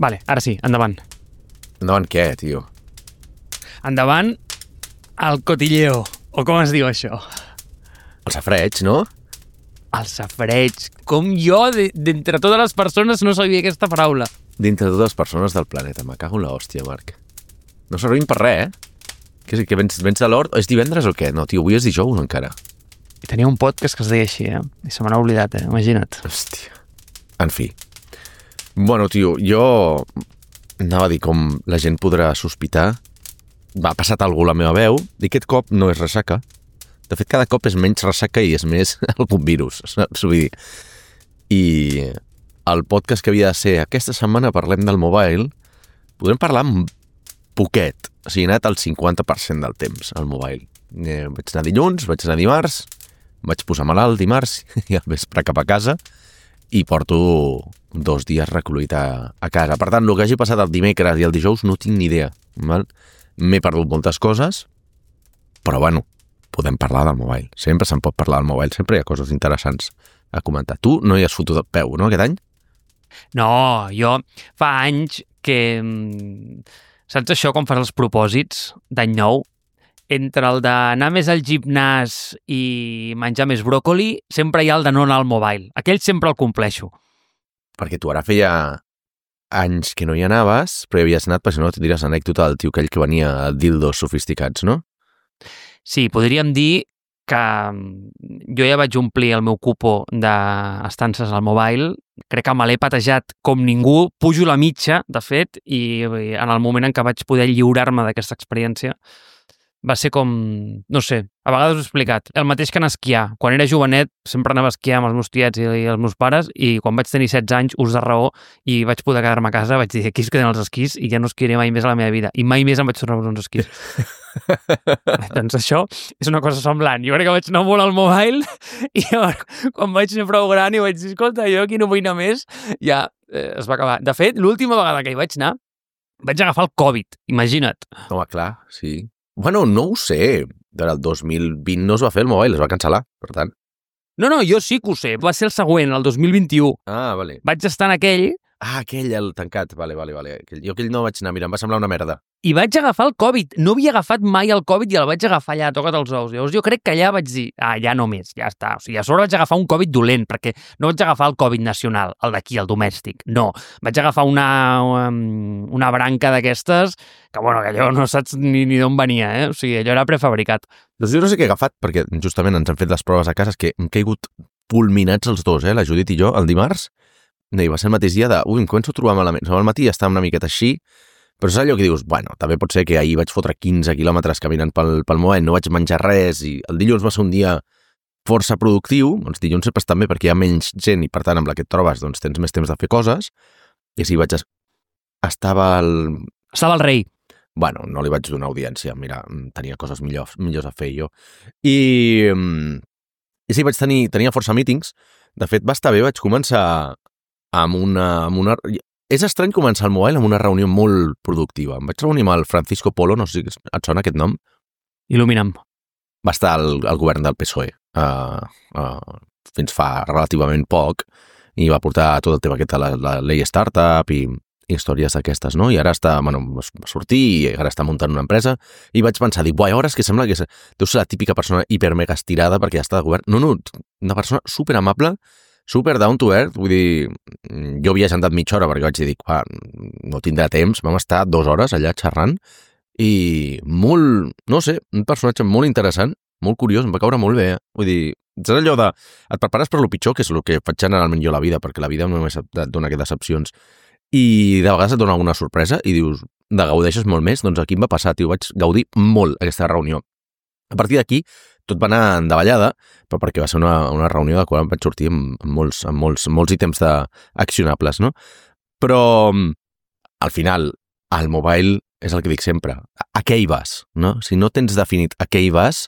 Vale, ara sí, endavant. Endavant què, tio? Endavant el cotilleo, o com es diu això? El safreig, no? El safreig. Com jo, d'entre totes les persones, no sabia aquesta paraula. Dintre de totes les persones del planeta. Me cago en l'hòstia, Marc. No servim per res, eh? Que vens de l'hort? És divendres o què? No, tio, avui és dijous encara. I tenia un podcast que es deia així, I se me n'ha oblidat, Imagina't. Hòstia. En fi. Bueno, tio, jo anava a dir com la gent podrà sospitar. Va passat algú a la meva veu i aquest cop no és ressaca. De fet, cada cop és menys ressaca i és més algun virus, saps? Vull dir. I el podcast que havia de ser aquesta setmana parlem del mobile, podrem parlar amb poquet. O sigui, he anat al 50% del temps al mobile. Vaig anar dilluns, vaig anar dimarts, vaig posar malalt dimarts i al vespre cap a casa i porto 2 dies recluït a casa. Per tant, el que hagi passat el dimecres i el dijous no tinc ni idea. Val? M'he perdut moltes coses, però bueno, podem parlar del mobile. Sempre se'n pot parlar del mobile, sempre hi ha coses interessants a comentar. Tu no hi has fotut el peu, no, aquest any? No, jo fa anys que... Saps això, quan fas els propòsits d'any nou? Entre el d'anar més al gimnàs i menjar més bròcoli, sempre hi ha el de no anar al mobile. Aquell sempre el compleixo. Perquè tu ara feia anys que no hi anaves, però hi havies anat, perquè si no tindries anècdota del tio aquell que venia a dildos sofisticats, no? Sí, podríem dir que jo ja vaig omplir el meu cupo d'estances al mobile. Crec que me l'he patejat com ningú. Pujo la mitja, de fet, i en el moment en què vaig poder lliurar-me d'aquesta experiència va ser com, no sé, a vegades ho he explicat, el mateix que anar a esquiar. Quan era jovenet sempre anava a esquiar amb els meus tiets i els meus pares i quan vaig tenir 16 anys, ús de raó, i vaig poder quedar-me a casa, vaig dir, aquí es queden els esquís i ja no esquiaré mai més a la meva vida. I mai més em vaig tornar a uns esquís. Doncs això és una cosa semblant. Jo crec que vaig anar molt al mobile i quan vaig ser prou gran i vaig dir, escolta, jo aquí no vull anar més, ja es va acabar. De fet, l'última vegada que hi vaig anar, vaig agafar el Covid, imagina't. Home, clar, sí. Bueno, no ho sé. El 2020 no es va fer el mobile, es va cancel·lar, per tant. No, jo sí que ho sé. Va ser el següent, el 2021. Ah, vale. Vaig estar en aquell... Ah, aquell, el tancat. Vale. Jo aquell no vaig anar, mira, em va semblar una merda. I vaig agafar el Covid. No havia agafat mai el Covid i el vaig agafar allà, toca't els ous. Llavors jo crec que allà vaig dir, ja no més, ja està. O sigui, a sobre vaig agafar un Covid dolent, perquè no vaig agafar el Covid nacional, el d'aquí, el domèstic. No, vaig agafar una branca d'aquestes que, bueno, que allò no saps ni d'on venia, O sigui, allò era prefabricat. Doncs jo no sé què he agafat, perquè justament ens han fet les proves a casa, que hem caigut fulminats els dos, la Judit i jo, el dimarts. I va ser el mateix dia em començo a trobar malament. Al matí ja estava una miqueta així, però és allò que dius, bueno, també pot ser que ahir vaig fotre 15 quilòmetres caminant pel moment, no vaig menjar res, i el dilluns va ser un dia força productiu, doncs dilluns sempre està bé perquè hi ha menys gent i per tant amb la que et trobes doncs tens més temps de fer coses, i així vaig... Estava el rei. Bueno, no li vaig donar audiència, mira, tenia coses millors a fer jo. I sí, tenia força meetings, de fet va estar bé, vaig començar amb una... És estrany començar el mobile amb una reunió molt productiva. Em vaig reunir amb el Francisco Polo, no sé si et sona aquest nom. Il·lumina'm. Va estar al govern del PSOE fins fa relativament poc i va portar tot el tema aquest de la llei startup i històries d'aquestes, no? I ara va sortir i ara està muntant una empresa i vaig pensar, dic, ara és que sembla que deu ser la típica persona hipermega estirada perquè ja està de govern. No, una persona superamable, super down to earth, vull dir, jo havia sentat mitja hora perquè vaig dir, no tindrà temps, vam estar 2 hores allà xerrant i molt, no sé, un personatge molt interessant, molt curiós, em va caure molt bé, vull dir, és allò de, et prepares per lo pitjor, que és el que faig generalment jo a la vida, perquè la vida només et dona aquestes decepcions, i de vegades et dona alguna sorpresa i dius, gaudeixes molt més, doncs aquí em va passar, tio, vaig gaudir molt aquesta reunió. A partir d'aquí, tot va anar en davallada, però perquè va ser una reunió de la qual vaig sortir amb molts ítems accionables, no? Però, al final, el mobile és el que dic sempre. A què hi vas, no? Si no tens definit a què hi vas,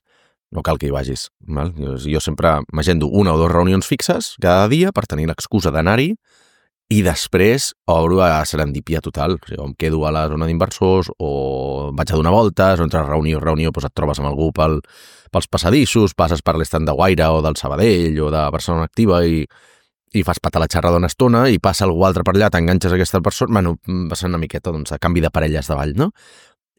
no cal que hi vagis. Val? Jo sempre m'agendo 1 o 2 reunions fixes cada dia per tenir l'excusa d'anar-hi i després obro a serendipia total. O sigui, em quedo a la zona d'inversors o vaig a donar voltes, o entre reunió doncs et trobes amb algú pels passadissos, passes per l'estand de Guaira o del Sabadell o de Barcelona Activa i i fas patar la xerrada una estona i passa algú altre per allà, t'enganxes a aquesta persona, bueno, va ser una miqueta de canvi de parelles de ball, no?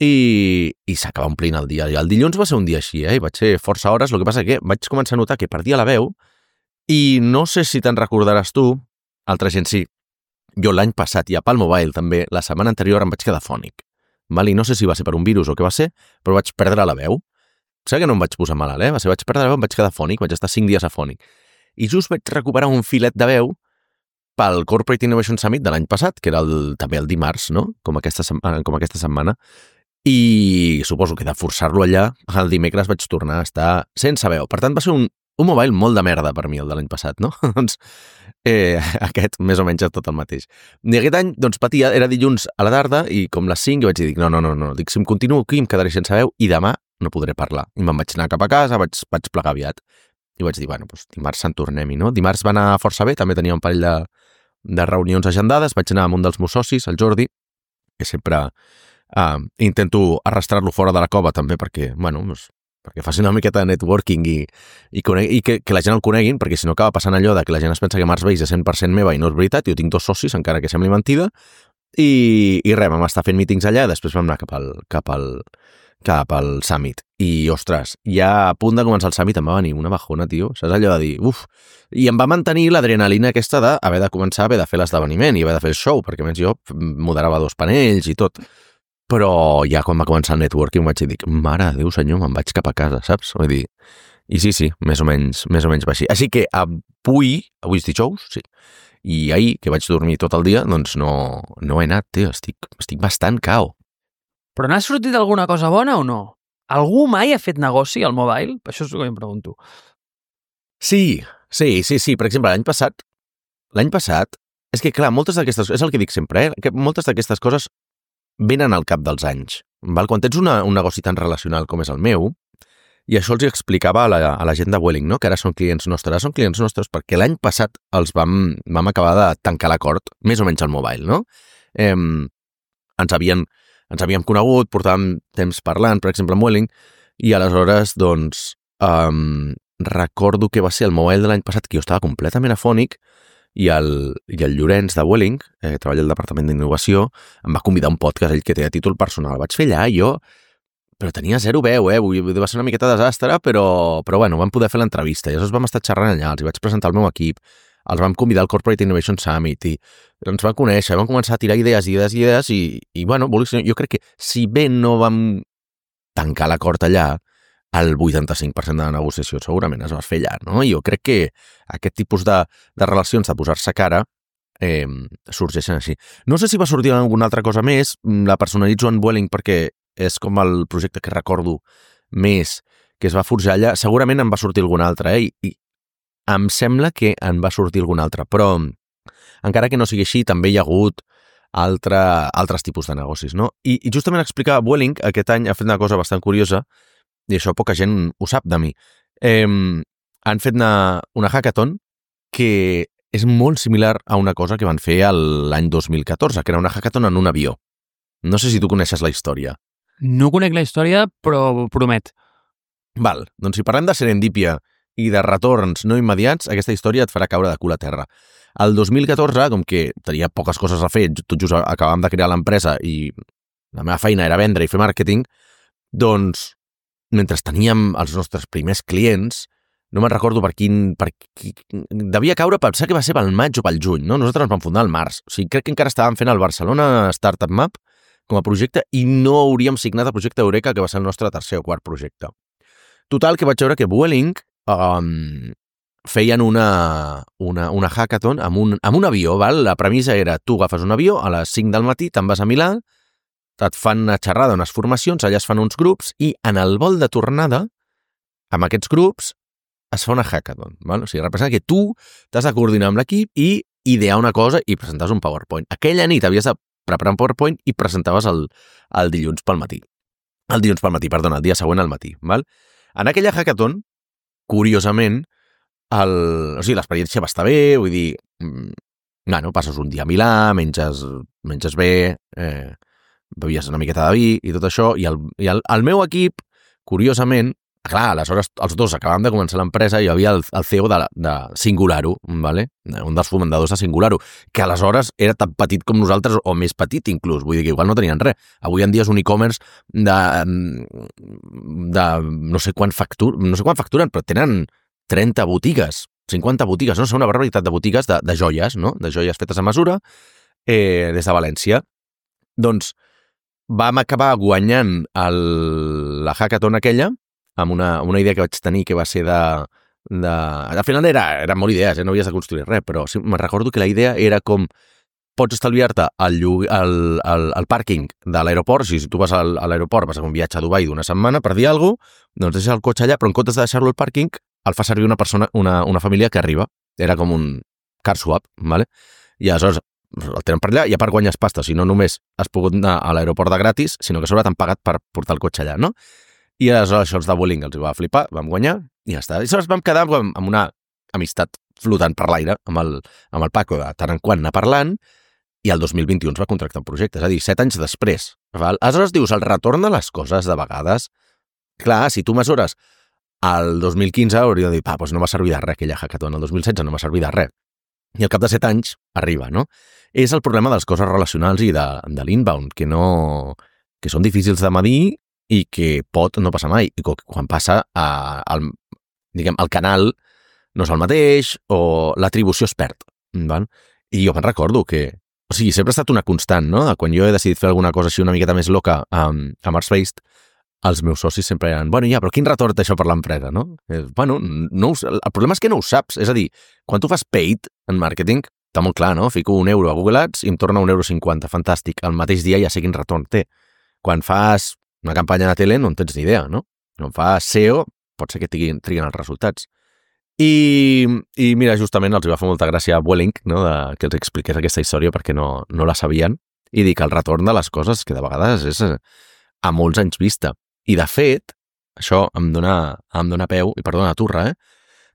I s'acaba omplint el dia. I el dilluns va ser un dia així, i vaig ser força hores, el que passa que vaig començar a notar que perdia la veu i no sé si te'n recordaràs tu, altra gent sí, jo l'any passat i a Palm Mobile també, la setmana anterior em vaig quedar fònic. I no sé si va ser per un virus o què va ser, però vaig perdre la veu. Sé que no em vaig posar malalt, vaig perdre la veu, em vaig quedar fònic, vaig estar 5 dies afònic. I just vaig recuperar un filet de veu pel Corporate Innovation Summit de l'any passat, que era també el dimarts, no? Com aquesta setmana. I suposo que de forçar-lo allà, el dimecres vaig tornar a estar sense veu. Per tant, va ser un mobile molt de merda per mi, el de l'any passat, no? Doncs aquest més o menys és tot el mateix. I aquest any, doncs, patia, era dilluns a la tarda i com les 5 jo vaig dir, no, dic, si em continuo aquí em quedaré sense veu i demà no podré parlar. I me'n vaig anar cap a casa, vaig plegar aviat. I vaig dir, bueno, doncs dimarts se'n tornem-hi, no? Dimarts va anar força bé, també tenia un parell de reunions agendades, vaig anar amb un dels meus socis, el Jordi, que sempre intento arrastrar-lo fora de la cova també perquè, bueno, perquè faci una miqueta de networking i que la gent el coneguin, perquè si no acaba passant allò de que la gent es pensa que Mars Base és 100% meva i no és veritat, jo tinc 2 socis, encara que sembli mentida, i res, vam estar fent mítings allà, després vam anar cap al Summit. I, ostres, ja a punt de començar el Summit em va venir una bajona, tio, saps allò de dir, i em va mantenir l'adrenalina aquesta d'haver de començar, haver de fer l'esdeveniment i haver de fer el show, perquè a més jo moderava 2 panells i tot. Però ja quan va començar el networking vaig dir, mare de Déu senyor, me'n vaig cap a casa, saps? Vull dir, i sí, més o menys va així. Així que avui és dijous, sí, i ahir, que vaig dormir tot el dia, doncs no he anat, tio, estic bastant cao. Però n'ha sortit alguna cosa bona o no? Algú mai ha fet negoci al mobile? Això és el que em pregunto. Sí, per exemple, l'any passat, és que clar, moltes d'aquestes, és el que dic sempre, que moltes d'aquestes coses venen al cap dels anys. Val? Quan tens un negoci tan relacional com és el meu, i això els explicava a la gent de Vueling, no? Que ara són clients nostres, perquè l'any passat els vam acabar de tancar l'acord, més o menys al mobile, no? Ens havíem conegut, portàvem temps parlant, per exemple, amb Vueling, i aleshores, doncs, recordo que va ser el mobile de l'any passat que jo estava completament afònic i el Llorenç de Vueling, que treballa al Departament d'Innovació, em va convidar a un podcast, ell que té a títol personal. El vaig fer allà, però tenia 0 veu, va ser una miqueta desastre, però bueno, vam poder fer l'entrevista, i aleshores vam estar xerrant allà, els vaig presentar el meu equip, els vam convidar al Corporate Innovation Summit, i ens vam conèixer, vam començar a tirar idees, i bueno, jo crec que si bé no vam tancar l'acord allà, el 85% de la negociació segurament es va fer allà, no? I jo crec que aquest tipus de relacions, de posar-se cara, sorgeixen així. No sé si va sortir alguna altra cosa més, la personalitzo en Vueling perquè és com el projecte que recordo més que es va forjar allà. Segurament en va sortir algun altre, i em sembla que en va sortir algun altre, però encara que no sigui així, també hi ha hagut altres tipus de negocis, no? I justament explicava Vueling, aquest any ha fet una cosa bastant curiosa, i això poca gent ho sap de mi. Han fet una hackathon que és molt similar a una cosa que van fer l'any 2014, que era una hackathon en un avió. No sé si tu coneixes la història. No conec la història, però promet. Val, doncs si parlem de serendípia i de retorns no immediats, aquesta història et farà caure de cul a terra. El 2014, com que tenia poques coses a fer, tot just acabàvem de crear l'empresa i la meva feina era vendre i fer màrqueting, doncs mentre teníem els nostres primers clients, no me'n recordo per quin devia caure, pensar que va ser pel maig o pel juny, no? Nosaltres ens vam fundar al març. O sigui, crec que encara estàvem fent el Barcelona Startup Map com a projecte i no hauríem signat el projecte Eureka, que va ser el nostre tercer o quart projecte. Total, que vaig veure que Vueling feien una hackathon amb un avió, val? La premissa era, tu agafes un avió, a les 5 del matí te'n vas a Milà, et fan una xerrada, unes formacions, allà es fan uns grups i en el vol de tornada, amb aquests grups, es fa una hackathon. Val? O sigui, representa que tu t'has de coordinar amb l'equip i idear una cosa i presentaves un PowerPoint. Aquella nit havies de preparar un PowerPoint i presentaves el dilluns pel matí. El dia següent al matí. Val? En aquella hackathon, curiosament, l'experiència va estar bé, vull dir, passes un dia a Milà, menges bé, bevies una miqueta de vi i tot això, i el meu equip, curiosament, clar, aleshores els dos acabàvem de començar l'empresa i hi havia el CEO de Singularo, ¿vale? Un dels fomentadors de Singularo, que aleshores era tan petit com nosaltres, o més petit inclús, vull dir que igual no tenien res. Avui en dia és un e-commerce de no sé quant facturen, però tenen 30 botigues, 50 botigues, no sé, una barbaritat de botigues de joies, no? De joies fetes a mesura, des de València. Doncs vam acabar guanyant la hackathon aquella, amb una idea que vaig tenir que va ser al final eren molt idees, no havies de construir res, però sí, me'n recordo que la idea era com pots estalviar-te el pàrquing de l'aeroport. Si tu vas a l'aeroport, vas a fer un viatge a Dubai d'una setmana, per dir alguna cosa, doncs deixes el cotxe allà, però en comptes de deixar-lo al pàrquing, el fa servir una persona, una família que arriba. Era com un car swap, ¿vale? I aleshores el tenen per allà i a part guanyes pasta, si no només has pogut anar a l'aeroport de gratis, sinó que a sobre t'han pagat per portar el cotxe allà, no? I aleshores això els de Vueling els va flipar, vam guanyar i ja està. I aleshores vam quedar amb una amistat flotant per l'aire amb el Paco, de tant en quant anar parlant, i el 2021 ens va contractar un projecte, és a dir, 7 anys després. Val? Aleshores dius, el retorn de les coses de vegades, clar, si tu mesures el 2015 hauria de dir, doncs no va servir de res aquella hackathon, el 2016 no va servir de res. I al cap de 7 anys arriba, no? És el problema de les coses relacionals i de l'inbound, que són difícils de medir i que pot no passar mai. I quan passa, el canal no és el mateix o l'atribució es perd. Val? I jo me'n recordo que... O sigui, sempre ha estat una constant, no? Quan jo he decidit fer alguna cosa així una miqueta més loca a Marsbased, els meus socis sempre eren, bueno, ja, però quin retorn té això per l'empresa, no? Bueno, el problema és que no ho saps. És a dir, quan tu fas paid en màrqueting, està molt clar, no? Fico €1 a Google Ads i em torna €1,50. Fantàstic. El mateix dia ja sé quin retorn té. Quan fas una campanya de tele no en tens ni idea, no? Quan fas SEO, pot ser que triguin els resultats. I mira, justament els va fer molta gràcia a Vueling, no? Que els expliqués aquesta història perquè no la sabien, i dir que el retorn de les coses, que de vegades és a molts anys vista. I de fet, això em dona peu, i perdona turra,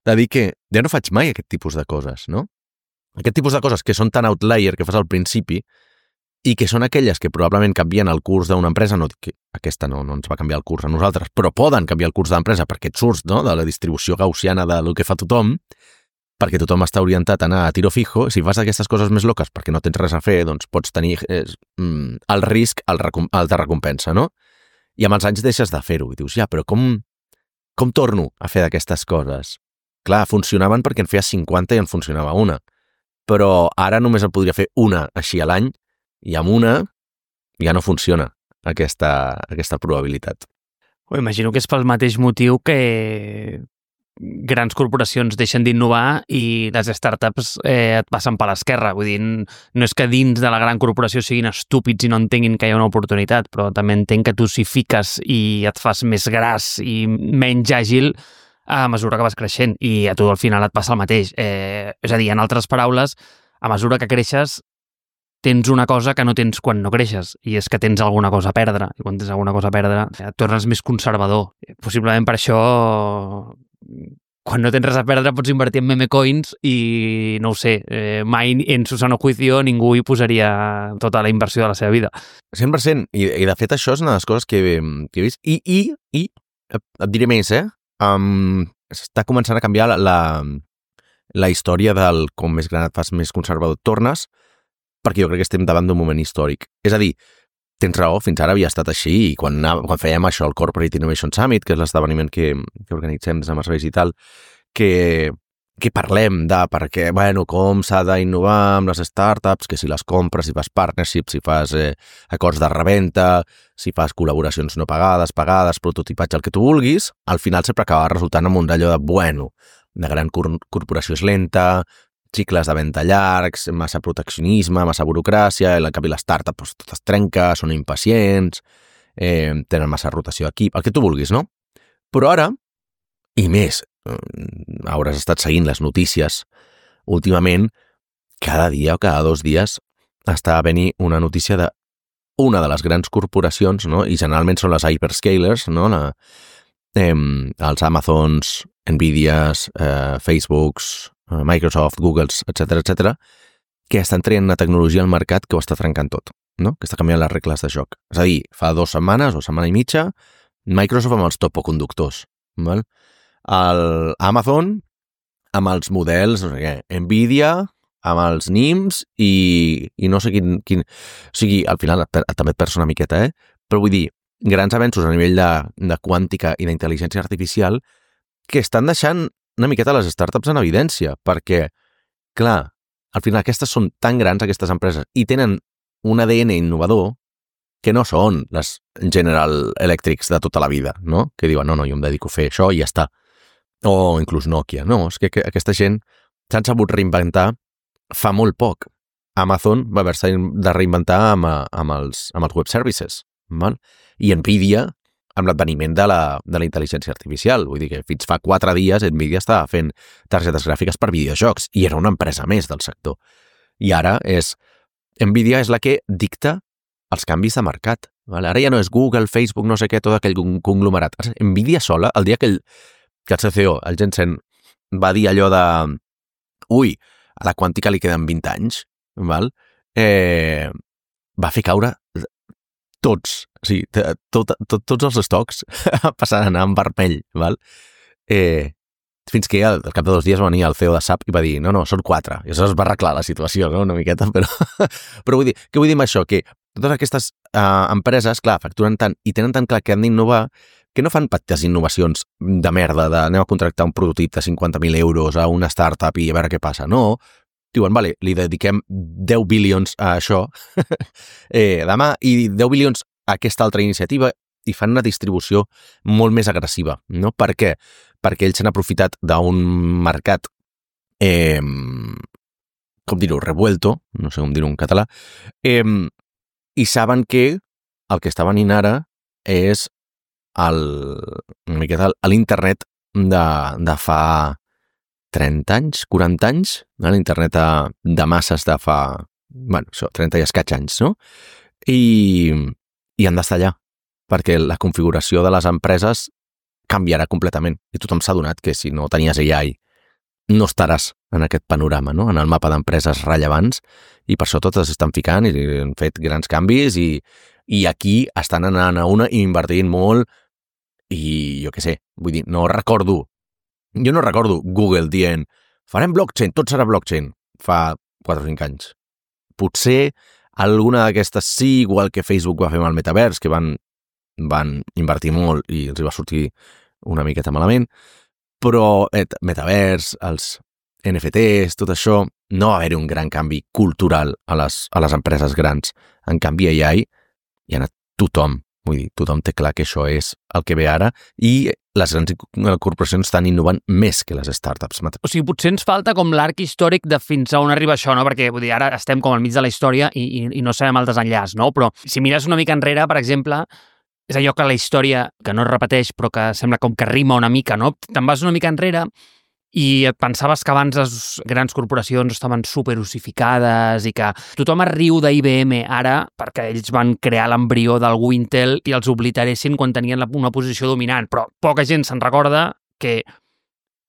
de dir que ja no faig mai aquest tipus de coses, no? Aquest tipus de coses que són tan outlier que fas al principi i que són aquelles que probablement canvien el curs d'una empresa, no dic que aquesta no ens va canviar el curs a nosaltres, però poden canviar el curs de l'empresa perquè et surts, no?, de la distribució gaussiana del que fa tothom, perquè tothom està orientat a anar a tiro fijo. Si fas aquestes coses més loques perquè no tens res a fer, doncs pots tenir el risc, el de recompensa, no? I amb els anys deixes de fer-ho i dius, ja, però com torno a fer d'aquestes coses? Clar, funcionaven perquè en feies 50 i en funcionava una, però ara només en podria fer una així a l'any i amb una ja no funciona aquesta probabilitat. Imagino que és pel mateix motiu que grans corporacions deixen d'innovar i les startups et passen per l'esquerra. Vull dir, no és que dins de la gran corporació siguin estúpids i no entenguin que hi ha una oportunitat, però també entenc que tu s'hi fiques i et fas més gras i menys àgil a mesura que vas creixent i a tu al final et passa el mateix. És a dir, en altres paraules, a mesura que creixes tens una cosa que no tens quan no creixes, i és que tens alguna cosa a perdre, i quan tens alguna cosa a perdre et tornes més conservador. Possiblement per això, quan no tens res a perdre, pots invertir en meme coins i, no ho sé, mai en su sano juicio ningú hi posaria tota la inversió de la seva vida. 100%, i de fet això és una de les coses que he vist, i et diré més, està començant a canviar la història del com més gran et fas, més conservador et tornes, perquè jo crec que estem davant d'un moment històric. És a dir, tens raó, fins ara havia estat així, i quan fèiem això, el Corporate Innovation Summit, que és l'esdeveniment que organitzem des de Marsbased i tal, que parlem de perquè, bueno, com s'ha d'innovar amb les startups, que si les compres, si fas partnerships, si fas acords de reventa, si fas col·laboracions no pagades, prototipatge, el que tu vulguis, al final sempre acaba resultant amb un d'allò de, bueno, de gran corporació és lenta, cicles de venda llargs, massa proteccionisme, massa burocràcia, i en canvi les startups tot es trenca, són impacients, tenen massa rotació d'equip, el que tu vulguis, no? Però ara, i més, hauràs estat seguint les notícies últimament, cada dia o cada 2 dies està a venir una notícia d'una de les grans corporacions, no? I generalment són les hyperscalers, no? Els Amazons, Nvidias, Facebooks, Microsoft, Googles, etc., que estan traient una tecnologia al mercat que ho està trencant tot, no? Que està canviant les regles de joc. És a dir, fa 2 setmanes o setmana i mitja, Microsoft amb els topoconductors, val? El Amazon amb els models, no sé què, Nvidia amb els NIMs i no sé quin... O sigui, al final també et perds una miqueta, Però vull dir, grans avenços a nivell de quàntica i d'intel·ligència artificial que estan deixant una miqueta les startups en evidència, perquè, clar, al final aquestes són tan grans, aquestes empreses, i tenen un ADN innovador que no són les General Electrics de tota la vida, no? Que diuen, no, jo em dedico a fer això i ja està. O inclús Nokia. No, és que aquesta gent s'han sabut reinventar fa molt poc. Amazon va haver-se de reinventar amb els web services, val? I Nvidia amb l'adveniment de la intel·ligència artificial. Vull dir que fins fa 4 dies Nvidia estava fent targetes gràfiques per videojocs i era una empresa més del sector. I ara Nvidia és la que dicta els canvis de mercat. Vale? Ara ja no és Google, Facebook, no sé què, tot aquell conglomerat. Nvidia sola, el dia que el CCO, el Jensen, va dir allò de ui, a la quàntica li queden 20 anys, val? Va fer caure tots, o sigui, tots els estocs passaran a anar en vermell, val? Fins que al cap de 2 dies va venir el CEO de SAP i va dir, no, són 4. I això es va arreglar la situació, no?, una miqueta, però vull dir, què vull dir amb això? Que totes aquestes empreses, clar, facturen tant i tenen tan clar que han d'innovar que no fan petites innovacions de merda, anem a contractar un prototip de 50.000 euros a una startup i a veure què passa. No, diuen, vale, li dediquem 10 bilions a això demà i 10 bilions a aquesta altra iniciativa i fan una distribució molt més agressiva, no? Per què? Perquè ells s'han aprofitat d'un mercat, com dir-ho, revuelto, no sé com dir-ho en català, i saben que el que està venint ara és una miqueta l'internet de fa 30 anys, 40 anys, l'internet de masses de fa, 30 i escaig anys, no? I han d'estar allà, perquè la configuració de les empreses canviarà completament. I tothom s'ha adonat que si no tenies AI no estaràs en aquest panorama, no? En el mapa d'empreses rellevants, i per això totes estan ficant i han fet grans canvis i aquí estan anant a una i invertint molt i jo què sé, vull dir, jo no recordo Google dient farem blockchain, tot serà blockchain fa 4 o 5 anys. Potser alguna d'aquestes sí, igual que Facebook va fer amb el metavers, que van invertir molt i els va sortir una miqueta malament, però metavers, els NFTs, tot això, no va haver-hi un gran canvi cultural a les empreses grans. En canvi, AI hi ha anat tothom. Vull dir, tothom té clar que això és el que ve ara i les grans corporacions estan innovant més que les startups. O sigui, potser ens falta com l'arc històric de fins a on arriba això, no? Perquè vull dir, ara estem com al mig de la història i no sabem el desenllaç, no? Però si mires una mica enrere, per exemple, és allò que la història, que no es repeteix, però que sembla com que rima una mica, no? Te'n vas una mica enrere i et pensaves que abans les grans corporacions estaven superossificades i que tothom es riu d'IBM ara perquè ells van crear l'embrió d'algú Intel i els obliteressin quan tenien una posició dominant, però poca gent se'n recorda que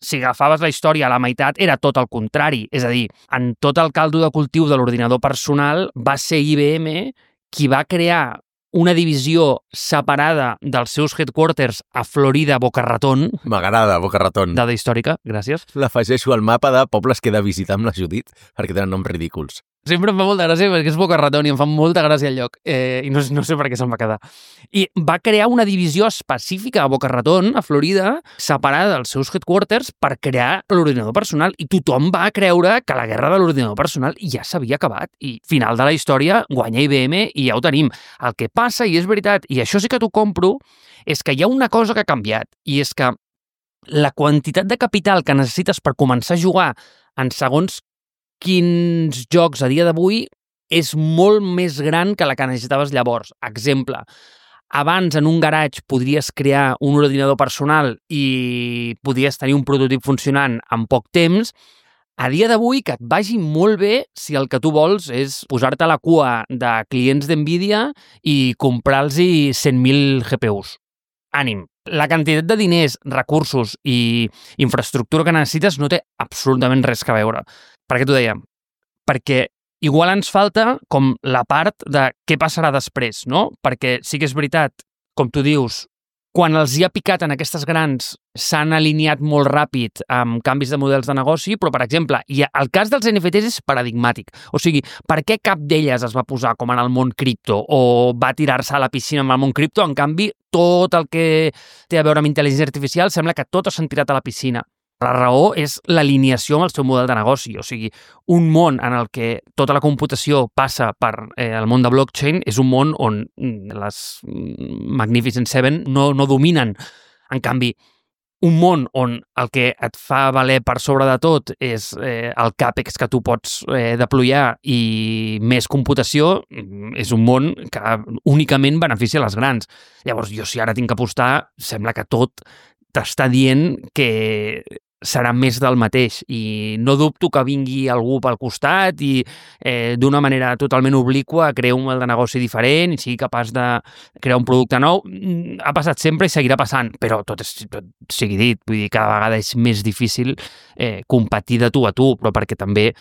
si agafaves la història a la meitat era tot el contrari, és a dir, en tot el caldo de cultiu de l'ordinador personal va ser IBM qui va crear una divisió separada dels seus headquarters a Florida, Boca Raton. M'agrada, Boca Raton. Dada històrica, gràcies. L'afegeixo al mapa de pobles que he de visitar amb la Judit perquè tenen noms ridículs. Sempre em fa molta gràcia perquè és Boca Raton i em fa molta gràcia el lloc. I no sé per què se'n va quedar. I va crear una divisió específica a Boca Raton, a Florida, separada dels seus headquarters per crear l'ordinador personal. I tothom va creure que la guerra de l'ordinador personal ja s'havia acabat. I final de la història guanya IBM i ja ho tenim. El que passa, i és veritat, i això sí que t'ho compro, és que hi ha una cosa que ha canviat. I és que la quantitat de capital que necessites per començar a jugar en segons quins jocs a dia d'avui és molt més gran que la que necessitaves llavors. Exemple, abans en un garatge podries crear un ordinador personal i podries tenir un prototip funcionant en poc temps. A dia d'avui que et vagi molt bé si el que tu vols és posar-te a la cua de clients d'Nvidia i comprar-los 100.000 GPUs. Ànim. La quantitat de diners, recursos i infraestructura que necessites no té absolutament res a veure. Per què t'ho deia? Perquè igual ens falta com la part de què passarà després, no? Perquè sí que és veritat, com tu dius, quan els hi ha picat en aquestes grans s'han alineat molt ràpid amb canvis de models de negoci, però, per exemple, el cas dels NFTs és paradigmàtic. O sigui, per què cap d'elles es va posar com en el món cripto o va tirar-se a la piscina amb el món cripto? En canvi, tot el que té a veure amb intel·ligència artificial sembla que totes s'han tirat a la piscina. La raó és l'alineació amb el seu model de negoci. O sigui, un món en el que tota la computació passa per el món de blockchain és un món on les Magnificent Seven no dominen. En canvi, un món on el que et fa valer per sobre de tot és el CAPEX que tu pots deployar i més computació, és un món que únicament beneficia les grans. Llavors, jo si ara tinc que apostar, sembla que tot t'està dient que serà més del mateix i no dubto que vingui algú pel costat i d'una manera totalment obliqua crear un model de negoci diferent i sigui capaç de crear un producte nou. Ha passat sempre i seguirà passant, però tot sigui dit, vull dir, cada vegada és més difícil competir de tu a tu, però perquè també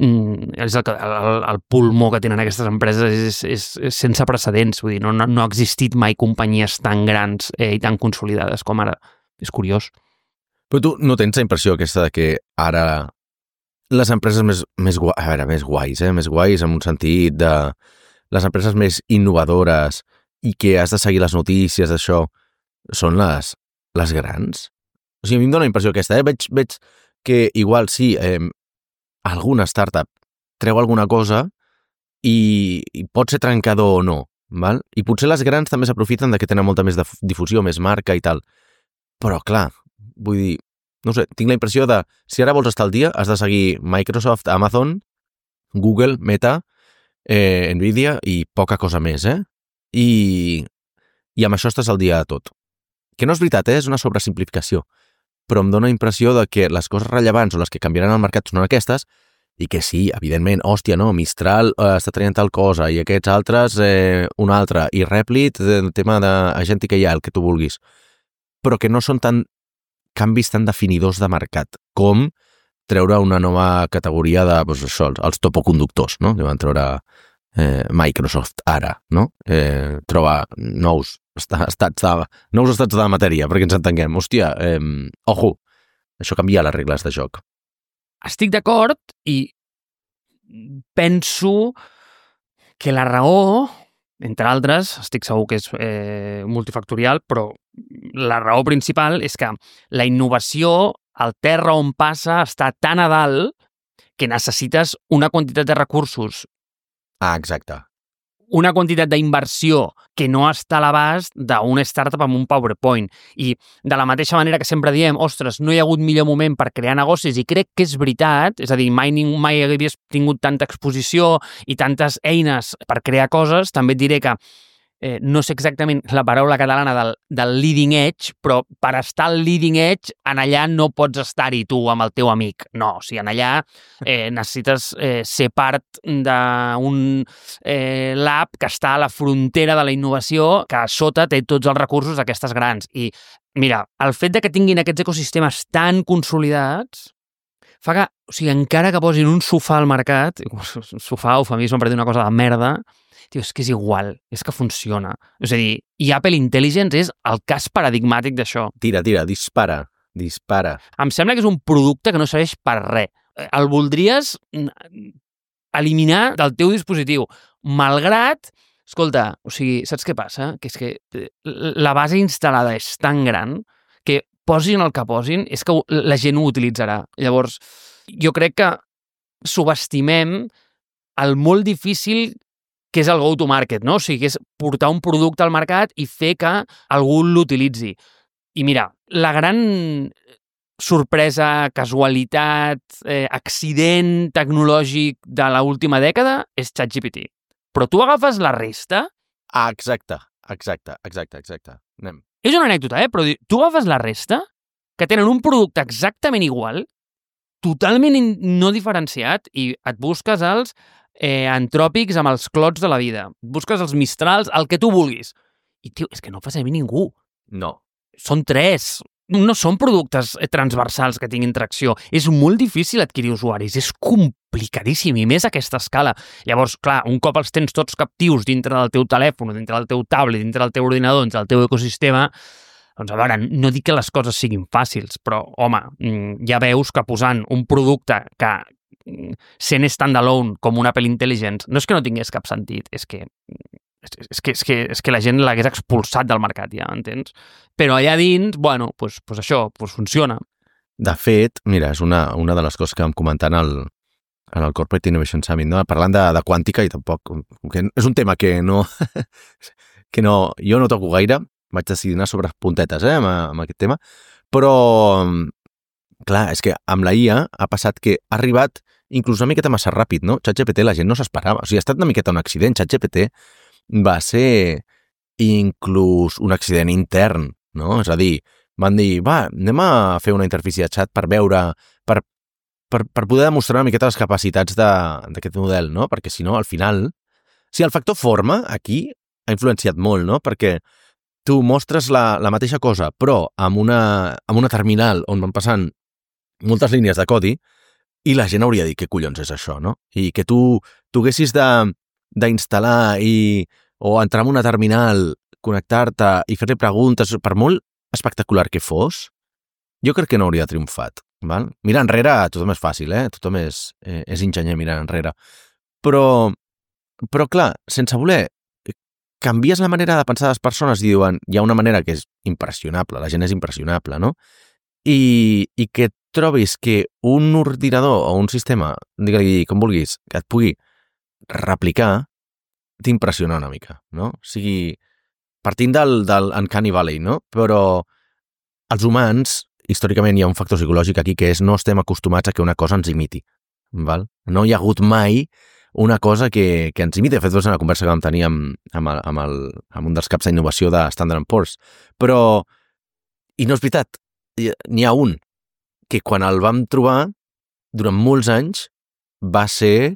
és el pulmó que tenen aquestes empreses és sense precedents, vull dir, no ha existit mai companyies tan grans i tan consolidades com ara. És curiós. Però tu no tens la impressió aquesta de que ara les empreses més guais en un sentit de les empreses més innovadores i que has de seguir les notícies d'això són les grans? O sigui, a mi em dóna la impressió aquesta, veig que igual sí, alguna startup treu alguna cosa i pot ser trencador o no, val? I potser les grans també s'aprofiten de que tenen molta més difusió, més marca i tal. Però, clar, vull dir, no sé, tinc la impressió de, si ara vols estar al dia, has de seguir Microsoft, Amazon, Google, Meta, Nvidia i poca cosa més, I amb això estàs al dia de tot. Que no és veritat, és una sobresimplificació, però em dóna la impressió de que les coses rellevants o les que canviaran el mercat són aquestes i que sí, evidentment, hòstia, no, Mistral està traient tal cosa i aquests altres una altra, i Replit, el tema d'agèntica i el que tu vulguis, però que no són canvis tan definidors de mercat com treure una nova categoria de, doncs això, els topoconductors, no? Que van treure Microsoft ara, no? Trobar nous estats de la matèria, perquè ens entenguem. Hòstia, ojo, això canvia les regles de joc. Estic d'acord i penso que la raó, entre altres, estic segur que és multifactorial, però la raó principal és que la innovació, el terra on passa, està tan a dalt que necessites una quantitat de recursos. Exacte. Una quantitat d'inversió que no està a l'abast d'una startup amb un PowerPoint. I de la mateixa manera que sempre diem, ostres, no hi ha hagut millor moment per crear negocis, i crec que és veritat, és a dir, mai havies tingut tanta exposició i tantes eines per crear coses, també et diré que no sé exactament la paraula catalana del leading edge, però per estar al leading edge, en allà no pots estar-hi tu amb el teu amic. No, o sigui, en allà necessites ser part d'un lab que està a la frontera de la innovació, que a sota té tots els recursos d'aquestes grans. I mira, el fet de que tinguin aquests ecosistemes tan consolidats fa que, o sigui, encara que posin un sofà al mercat, sofà, eufemisme per dir una cosa de merda, tio, és que és igual, és que funciona. És a dir, i Apple Intelligence és el cas paradigmàtic d'això. Tira, dispara. Em sembla que és un producte que no serveix per res. El voldries eliminar del teu dispositiu, malgrat, escolta, o sigui, saps què passa? Que és que la base instal·lada és tan gran que posin el que posin, és que la gent ho utilitzarà. Llavors, jo crec que subestimem el molt difícil que és el go-to-market, no? O sigui, que és portar un producte al mercat i fer que algú l'utilitzi. I mira, la gran sorpresa, casualitat, accident tecnològic de l'última dècada és ChatGPT. Però tu agafes la resta... Exacte. Anem. És una anècdota, però tu agafes la resta, que tenen un producte exactament igual, totalment no diferenciat, i et busques els antròpics amb els clots de la vida. Busques els Mistrals, el que tu vulguis. I, tio, és que no fa servir ningú. No. Són 3. No són productes transversals que tinguin tracció. És molt difícil adquirir usuaris. És complicadíssim, i més a aquesta escala. Llavors, clar, un cop els tens tots captius dintre del teu telèfon, dintre del teu tablet, dintre del teu ordinador, dintre del teu ecosistema, Doncs a veure, no dic que les coses siguin fàcils, però, home, ja veus que posant un producte que sent standalone com una Apple Intelligence, no és que no tingués cap sentit, és que la gent l'hagués expulsat del mercat, ja, entens? Però allà dins, bueno, pues això, pues funciona. De fet, mira, és una de les coses que vam comentar en el Corporate Innovation Summit, no? Parlant de quàntica, i tampoc... Que és un tema que no... jo no toco gaire, vaig decidir anar sobre puntetes amb aquest tema, però, clar, és que amb la IA ha passat que ha arribat inclús una miqueta massa ràpid, no? ChatGPT la gent no s'esperava. O sigui, ha estat una miqueta un accident. ChatGPT va ser inclús un accident intern, no? És a dir, van dir, va, anem a fer una interfície de chat per veure, per poder demostrar una miqueta les capacitats d'aquest model, no? Perquè si no, al final... Si el factor forma, aquí, ha influenciat molt, no? Perquè tu mostres la mateixa cosa, però amb una terminal on van passant moltes línies de codi i la gent hauria de dir, què collons és això, no? I que tu haguessis d'instal·lar o entrar en una terminal, connectar-te i fer-li preguntes, per molt espectacular que fos, jo crec que no hauria triomfat. Val? Mirar enrere, tothom és fàcil, tothom és enginyer mirar enrere. Però clar, sense voler, canvies la manera de pensar de les persones i diuen, hi ha una manera que és impressionable, la gent és impressionable, no? I que trobis que un ordinador o un sistema, digue-li com vulguis, que et pugui replicar, t'impressiona una mica, no? O sigui, partint del Uncanny Valley, no? Però els humans, històricament hi ha un factor psicològic aquí que és no estem acostumats a que una cosa ens imiti, val? No hi ha hagut mai una cosa que ens imiti. De fet, és una conversa que vam tenir amb un dels caps d'innovació de Standard & Poor's. Però, i no és veritat, n'hi ha un que quan el vam trobar, durant molts anys, va ser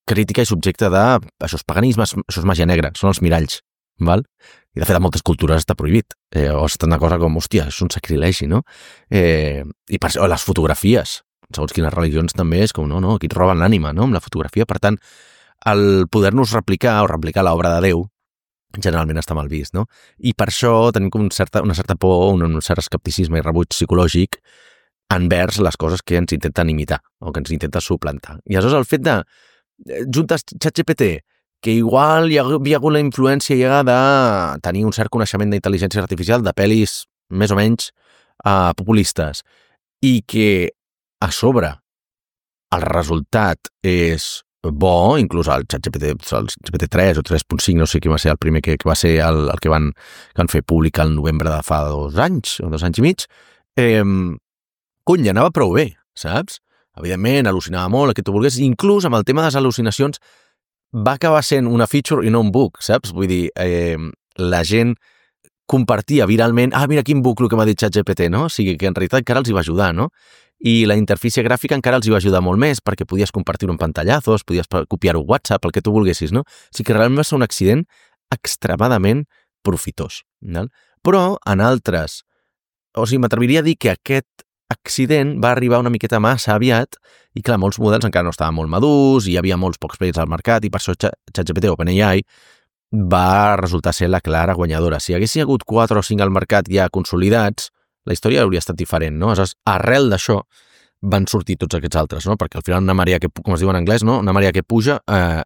crítica i subjecte de això és paganisme, això és màgia negra, són els miralls, val? I de fet a moltes cultures està prohibit, o està una cosa com, hòstia, és un sacrilegi, no? I per això, les fotografies, segons quines religions també és com, no, aquí et roben l'ànima, no?, amb la fotografia. Per tant, el poder-nos replicar o replicar l'obra de Déu generalment està mal vist, no? I per això tenim com una certa por, un cert escepticisme i rebuig psicològic envers les coses que ens intenten imitar o que ens intenten suplantar. I aleshores el fet de juntes ChatGPT, que igual hi havia hagut la influència ja de tenir un cert coneixement d'intel·ligència artificial de pel·lis més o menys populistes, i que a sobre el resultat és bo, inclús el ChatGPT, el GPT-3 o 3.5, no sé qui va ser el primer que va ser el que van fer públic al novembre de fa 2 anys o 2 anys i mig, cony, anava prou bé, saps? Evidentment, al·lucinava molt, el que tu volgués, inclús amb el tema de les al·lucinacions va acabar sent una feature i no un bug, saps? Vull dir, la gent compartia viralment, mira quin bug el que m'ha dit ChatGPT, no? O sigui que en realitat encara els hi va ajudar, no? I la interfície gràfica encara els hi va ajudar molt més perquè podies compartir-ho en pantallazos, podies copiar-ho a WhatsApp, el que tu volguessis, no? O sigui que realment va ser un accident extremadament profitós, no? Però en altres, o sigui, m'atreviria a dir que aquest accident va arribar una miqueta massa aviat i clar, molts models encara no estaven molt madurs i hi havia molts pocs players al mercat i per això ChatGPT o OpenAI va resultar ser la clara guanyadora. Si haguessin hagut 4 o 5 al mercat ja consolidats, la història hauria estat diferent, no? Aleshores, arrel d'això van sortir tots aquests altres, no? Perquè al final una marea que, com es diu en anglès, no? Una marea que puja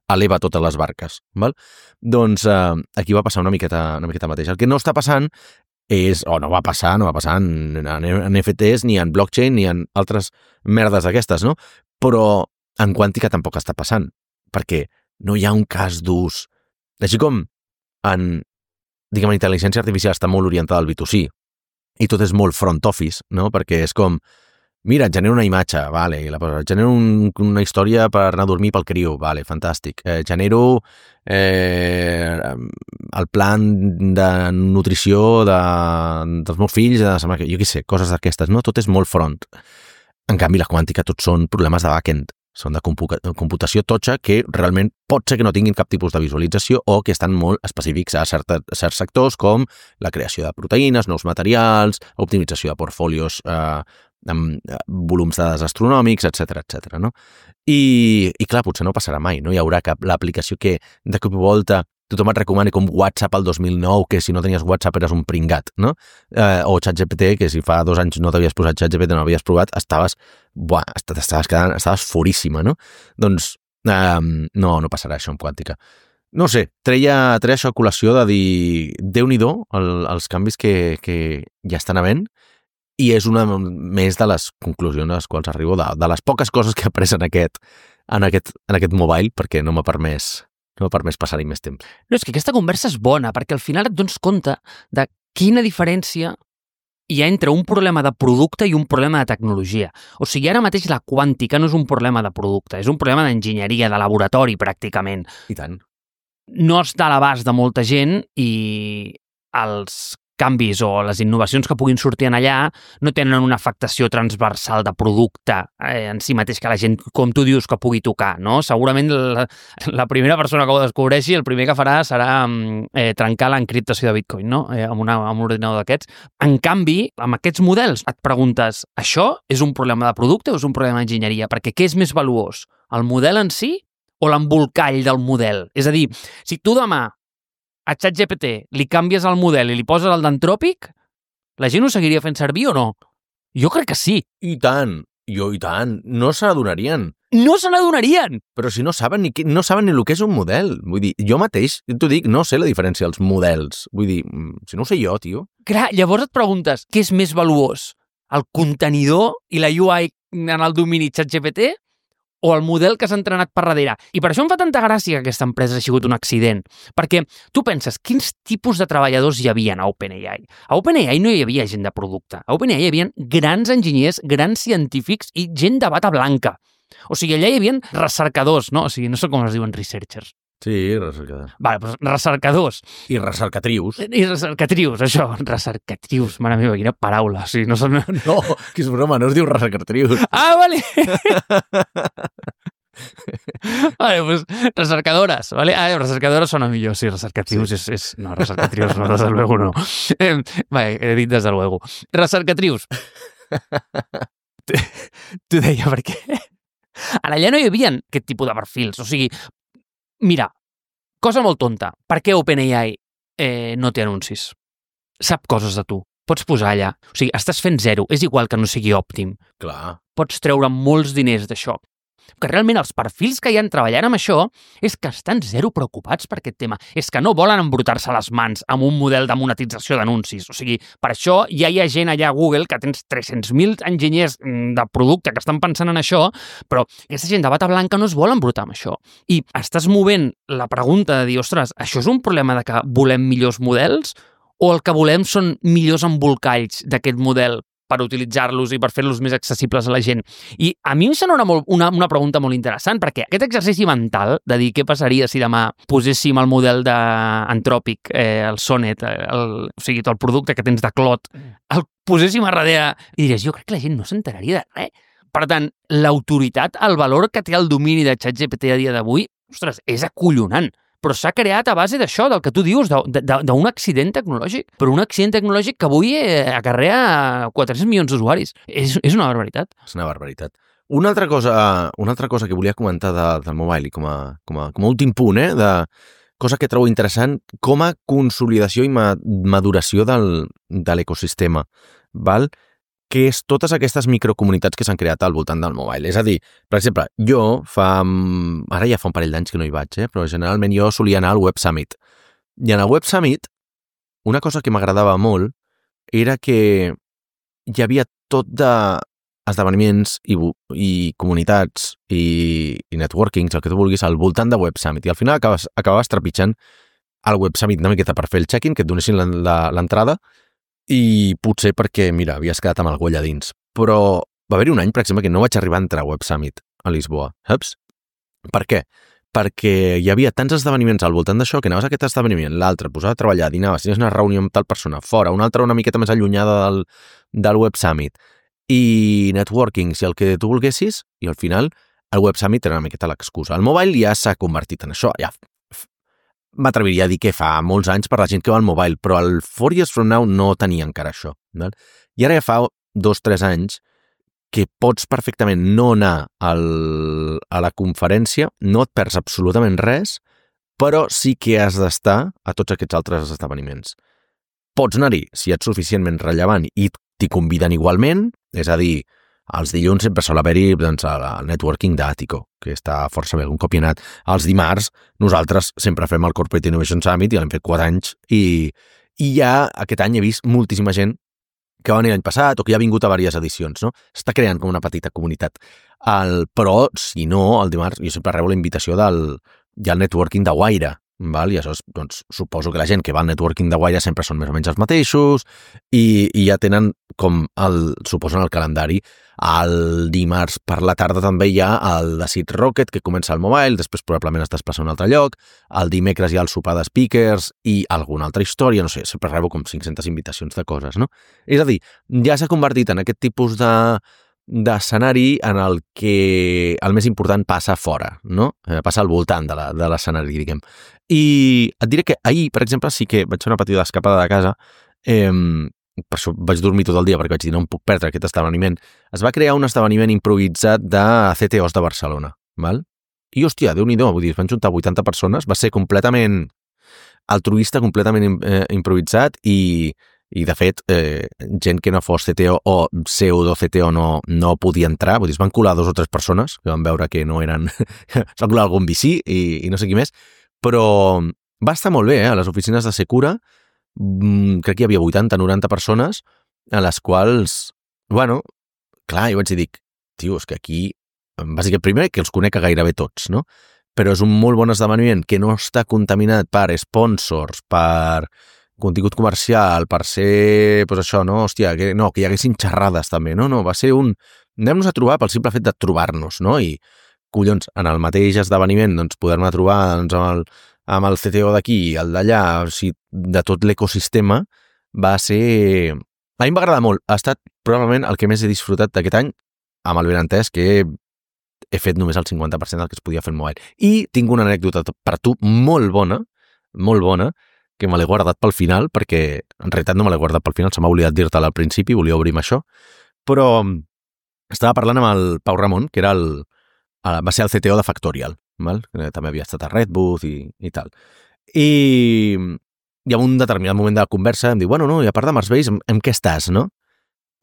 eleva totes les barques, val? Doncs aquí va passar una miqueta mateix. El que no està passant és, o no va passar en NFTs, ni en blockchain, ni en altres merdes d'aquestes, no? Però en quàntica tampoc està passant, perquè no hi ha un cas d'ús. Així com en, diguem, intel·ligència artificial està molt orientada al B2C, i tot és molt front office, no? Perquè és com, mira, et genero una imatge, vale, genero una història per anar a dormir pel criu, vale, fantàstic. Genero el plan de nutrició dels meus fills, jo què sé, coses d'aquestes, no? Tot és molt front. En canvi, la quàntica tot són problemes de back-end, són de computació totxa que realment pot ser que no tinguin cap tipus de visualització o que estan molt específics a certs sectors com la creació de proteïnes, nous materials, optimització de portfolios amb volums de dades astronòmics, etc. no? I clar, potser no passarà mai, no hi haurà cap l'aplicació que de cop i volta tothom et recomani com WhatsApp al 2009, que si no tenies WhatsApp eres un pringat, no? O ChatGPT, que si fa 2 anys no t'havies posat ChatGPT, no l'havies provat, estaves furíssima, no? Doncs no passarà això amb quàntica. No sé, treia això a col·lació de dir Déu-n'hi-do els canvis que ja estan havent, i és una més de les conclusions a les quals arribo, de les poques coses que he après en aquest mobile, perquè no m'ha permès passar-hi més temps. No, és que aquesta conversa és bona, perquè al final et dones compte de quina diferència hi ha entre un problema de producte i un problema de tecnologia. O sigui, ara mateix la quàntica no és un problema de producte, és un problema d'enginyeria, de laboratori, pràcticament. I tant. No està a l'abast de molta gent i els canvis o les innovacions que puguin sortir en allà no tenen una afectació transversal de producte en si mateix que la gent, com tu dius, que pugui tocar, no? Segurament la primera persona que ho descobreixi, el primer que farà serà trencar l'encriptació de Bitcoin, no? Amb un ordinador d'aquests. En canvi, amb aquests models et preguntes, això és un problema de producte o és un problema d'enginyeria? Perquè què és més valuós? El model en si o l'embolcall del model? És a dir, si tu demà a ChatGPT li canvies el model i li poses el d'Anthropic, la gent ho seguiria fent servir o no? Jo crec que sí. I tant, no se n'adonarien. No se n'adonarien! Però si no saben ni el que és un model. Vull dir, jo mateix, t'ho dic, no sé la diferència dels models. Vull dir, si no ho sé jo, tio. Clar, llavors et preguntes, què és més valuós? El contenidor i la UI en el domini ChatGPT o el model que s'ha entrenat per darrere? I per això em fa tanta gràcia que aquesta empresa ha sigut un accident. Perquè tu penses, quins tipus de treballadors hi havia a OpenAI? A OpenAI no hi havia gent de producte. A OpenAI hi havia grans enginyers, grans científics i gent de bata blanca. O sigui, allà hi havia recercadors, no? O sigui, no sé com es diuen researchers. Sí, recercadors. Vale, doncs recercadors. I recercatrius. I recercatrius, això. Recercatrius, mare meva, quina paraula. O sigui, no són... No, que és broma, no es diu recercatrius. Ah, vale! Vale, pues recercadores, ¿vale? Recercadores sona millor, sí, recercatrius sí. No, recercatrius no, desde luego no. Vale, he dit desde luego. Recercatrius. T'ho deia perquè allà no hi havia aquest tipus de perfils, o sigui, mira, cosa molt tonta, per què OpenAI no té anuncis? Sap coses de tu, pots posar allà, o sigui, estàs fent zero, és igual que no sigui òptim. Clar. Pots treure molts diners d'això. Que realment els perfils que hi han treballant amb això és que estan zero preocupats per aquest tema. És que no volen embrutar-se les mans amb un model de monetització d'anuncis. O sigui, per això ja hi ha gent allà a Google que tens 300.000 enginyers de producte que estan pensant en això, però aquesta gent de bata blanca no es vol embrutar amb això. I estàs movent la pregunta de dir, ostres, això és un problema de que volem millors models o el que volem són millors embolcalls d'aquest model per utilitzar-los i per fer-los més accessibles a la gent. I a mi em sembla una pregunta molt interessant, perquè aquest exercici mental de dir què passaria si demà poséssim el model d'Anthropic, el Sonnet, o sigui, tot el producte que tens de Claude, el poséssim a darrere i diries, jo crec que la gent no s'enteraria de res. Per tant, l'autoritat, el valor que té el domini de ChatGPT a dia d'avui, ostres, és acollonant. Però s'ha creat a base d'això, del que tu dius, d'un accident tecnològic. Però un accident tecnològic que avui acarrea 400 milions d'usuaris. És una barbaritat. És una barbaritat. Una altra cosa que volia comentar del mobile, i com a últim punt, de cosa que trobo interessant, com a consolidació i maduració de l'ecosistema, val? Que és totes aquestes microcomunitats que s'han creat al voltant del mobile. És a dir, per exemple, jo ara ja fa un parell d'anys que no hi vaig, però generalment jo solia anar al Web Summit. I en el Web Summit, una cosa que m'agradava molt era que hi havia tot d'esdeveniments i comunitats i networkings, el que tu vulguis, al voltant de Web Summit. I al final acabaves trepitjant el Web Summit una miqueta per fer el check-in, que et donessin l'entrada, i potser perquè, mira, havies quedat amb algú allà dins. Però va haver-hi un any, per exemple, que no vaig arribar a entrar a Web Summit a Lisboa, saps? Per què? Perquè hi havia tants esdeveniments al voltant d'això que anaves a aquest esdeveniment, l'altre, posaves a treballar, dinaves, tenies una reunió amb tal persona, fora, una altra una miqueta més allunyada del Web Summit, i networking, si el que tu volguessis, i al final el Web Summit era una miqueta l'excusa. El mobile ja s'ha convertit en això, ja m'atreviria a dir que fa molts anys per la gent que va al mobile, però el 4 Years From Now no tenia encara això. Val? I ara ja fa 2-3 anys que pots perfectament no anar a la conferència, no et perds absolutament res, però sí que has d'estar a tots aquests altres esdeveniments. Pots anar-hi si ets suficientment rellevant i t'hi conviden igualment, és a dir, els dilluns sempre sol haver-hi doncs, el networking d'Àtico, que està força bé, un cop hi he anat. Els dimarts nosaltres sempre fem el Corporate Innovation Summit, ja l'hem fet 4 anys, i ja aquest any he vist moltíssima gent que va venir l'any passat o que ja ha vingut a diverses edicions, no? S'està creant com una petita comunitat. Però, si no, el dimarts jo sempre rebo la invitació del networking de Guaire, val? I això doncs, suposo que la gent que va al networking de Guaire sempre són més o menys els mateixos i ja tenen com suposen el calendari. El dimarts per la tarda també hi ha el de Seed Rocket, que comença al Mobile, després probablement es desplaça a un altre lloc, el dimecres hi ha el sopar de speakers i alguna altra història, no sé, sempre rebo com 500 invitacions de coses, no? És a dir, ja s'ha convertit en aquest tipus d'escenari en el que el més important passa fora, no? Passa al voltant de l'escenari, diguem. I et diré que ahir, per exemple, sí que vaig fer una petita escapada de casa, per això vaig dormir tot el dia, perquè vaig dir no em puc perdre aquest esdeveniment. Es va crear un esdeveniment improvisat de CTOs de Barcelona, val? I, hòstia, Déu-n'hi-do, vull dir, es van juntar 80 persones, va ser completament altruista, completament improvisat i de fet, gent que no fos CTO o pseudo-CTO no podia entrar, vull dir, es van colar 2 o 3 persones que van veure que no eren... es van colar algun VC i no sé qui més, però va estar molt bé, a les oficines de Secura, crec que hi havia 80-90 persones a les quals, bueno, clar, jo vaig dir, tio, és que aquí, bàsicament, primer que els conec a gairebé tots, no? Però és un molt bon esdeveniment que no està contaminat per sponsors, per contingut comercial, per ser, doncs això, no? Hòstia, que hi haguessin xerrades també, no? Va ser anem-nos a trobar pel simple fet de trobar-nos, no? I, collons, en el mateix esdeveniment, doncs, poder-me trobar doncs, amb el CTO d'aquí i el d'allà, o sigui, de tot l'ecosistema, va ser... A mi em va agradar molt. Ha estat probablement el que més he disfrutat d'aquest any, amb el benentès que he fet només el 50% del que es podia fer en mobile. I tinc una anècdota per tu molt bona, que me l'he guardat pel final, perquè en realitat no me l'he guardat pel final, se m'ha oblidat dir-te-la al principi, volia obrir amb això, però estava parlant amb el Pau Ramon, que era va ser el CTO de Factorial, val? També havia estat a Redbooth i tal. I en un determinat moment de la conversa em diu, bueno, no, i a part de Marsbase, en què estàs, no?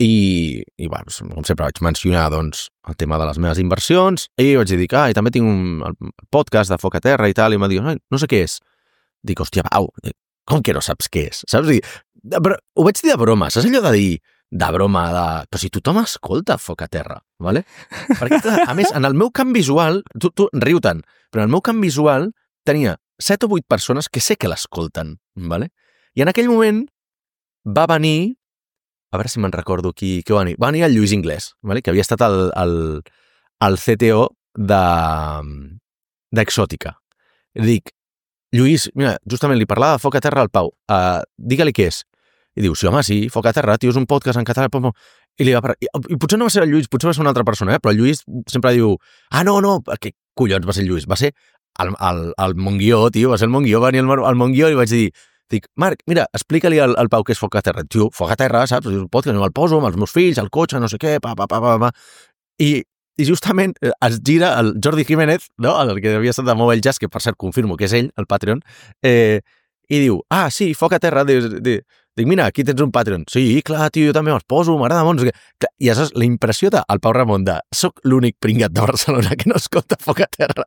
I bueno, com sempre vaig mencionar doncs, el tema de les meves inversions i vaig dir, i també tinc un podcast de Foc a Terra i tal, i em va dir, no sé què és. Dic, hòstia, Pau, com que no saps què és? Saps? Però ho vaig dir de broma, saps allò de dir, de broma, però si tothom escolta Foc a Terra, ¿vale? Perquè, a més, en el meu camp visual, tu riu tant, però en el meu camp visual tenia 7 o 8 persones que sé que l'escolten, ¿vale? I en aquell moment va venir, a veure si me'n recordo qui va venir el Lluís Inglés, ¿vale? Que havia estat el CTO d'Exòtica. Dic, Lluís, mira, justament li parlava de Foc a Terra al Pau, digue-li què és. I diu, sí, home, sí, Foc a Terra, tio, és un podcast en català. I potser no va ser el Lluís, potser va ser una altra persona, però el Lluís sempre diu, no, què collons va ser el Lluís? Va ser el Montguió, tio, va ser el Montguió, va venir el Montguió i vaig dir, Marc, mira, explica-li al Pau què és Foc a Terra. Tio, Foc a Terra, saps? És un podcast, el poso amb els meus fills, al cotxe, no sé què, I justament es gira el Jordi Jiménez, no? El que havia estat de Mobile Jazz, que per cert confirmo que és ell, el Patreon, i diu, sí, Foc a Terra, dic, mira, aquí tens un Patreon. Sí, clar, tio, jo també me'ls poso, m'agrada molt. I això és la impressió del Pau Ramon de soc l'únic pringat de Barcelona que no escolta Foc a Terra.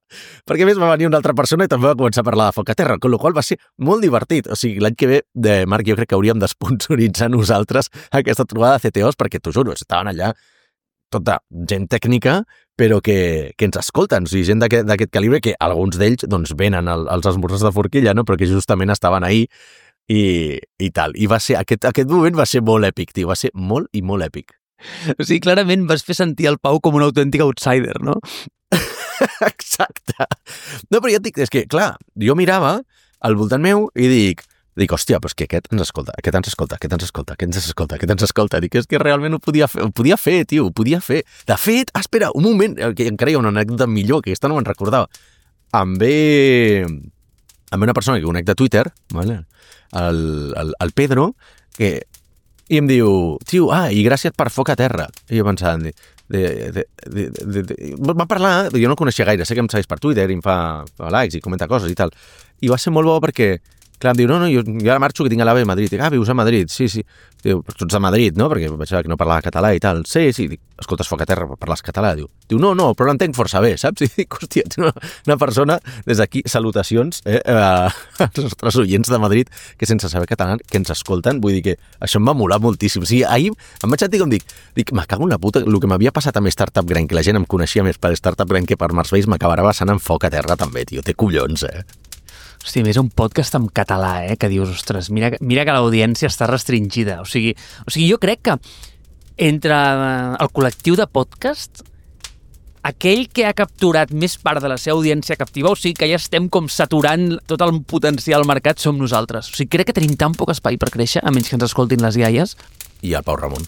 Perquè a més va venir una altra persona i també va començar a parlar de Foc a Terra, amb la qual va ser molt divertit. O sigui, l'any que ve, Marc, jo crec que hauríem d'esponsoritzar nosaltres aquesta trobada de CTOs, perquè t'ho juro, estaven allà tota gent tècnica, però que ens escolten, o sigui, gent d'aquest calibre, que alguns d'ells doncs, venen als esmorzars de forquilla, no? Però que justament estaven ahí i tal. I va ser, aquest moment va ser molt èpic, tio, va ser molt i molt èpic. O sigui, clarament vas fer sentir el Pau com un autèntic outsider, no? Exacte. No, però ja et dic, és que, clar, jo mirava al voltant meu i dic, hòstia, però és que aquest ens escolta, aquest ens escolta. Dic, és que realment ho podia fer, tio, ho podia fer. De fet, espera, un moment, que encara hi ha una anècdota millor, que aquesta no me'n recordava. Em ve una persona que conec de Twitter, ¿vale? El Pedro, i em diu, tio, i gràcies per Foc a Terra. I jo pensant, Va parlar, jo no el coneixia gaire, sé que em segueix per Twitter i em fa likes i comenta coses i tal. I va ser molt bo perquè, clar, em diu, no, jo ara marxo que tinc a l'AVE a Madrid. Dic, vius a Madrid? Sí. Diu, però tu ets de Madrid, no? Perquè vaig veure que no parlava català i tal. Sí. Dic, escolta, es foc a terra, parles català. Diu, no, però l'entenc força bé, saps? I dic, hòstia, ets una persona, des d'aquí, salutacions als nostres oients de Madrid que sense saber català, que ens escolten. Vull dir que això em va molar moltíssim. O sigui, ahir em vaig sentir com dic, me cago en la puta, el que m'havia passat amb Startup Grind, que la gent em coneixia més per Startup Grind que per Marsveis, m'acabarà basant en foc a terra també, tio. Té collons, Hòstia, més un podcast en català, que dius, ostres, mira que l'audiència està restringida. O sigui, jo crec que entre el col·lectiu de podcast, aquell que ha capturat més part de la seva audiència captiva, o sigui que ja estem com saturant tot el potencial mercat, som nosaltres. O sigui, crec que tenim tan poc espai per créixer, a menys que ens escoltin les iaies. I el Pau Ramon.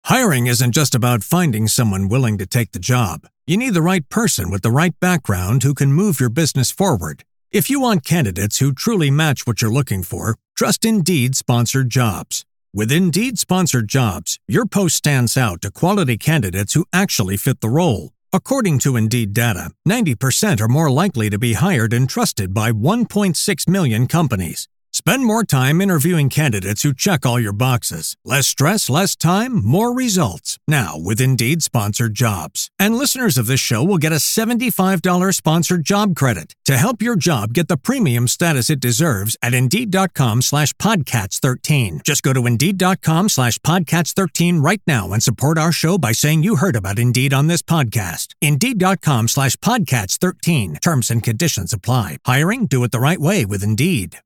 Hiring isn't just about finding someone willing to take the job. You need the right person with the right background who can move your business forward. If you want candidates who truly match what you're looking for, trust Indeed Sponsored Jobs. With Indeed Sponsored Jobs, your post stands out to quality candidates who actually fit the role. According to Indeed data, 90% are more likely to be hired and trusted by 1.6 million companies. Spend more time interviewing candidates who check all your boxes. Less stress, less time, more results. Now with Indeed Sponsored Jobs. And listeners of this show will get a $75 sponsored job credit to help your job get the premium status it deserves at Indeed.com/Podcats13. Just go to Indeed.com/Podcats13 right now and support our show by saying you heard about Indeed on this podcast. Indeed.com/Podcats13. Terms and conditions apply. Hiring? Do it the right way with Indeed.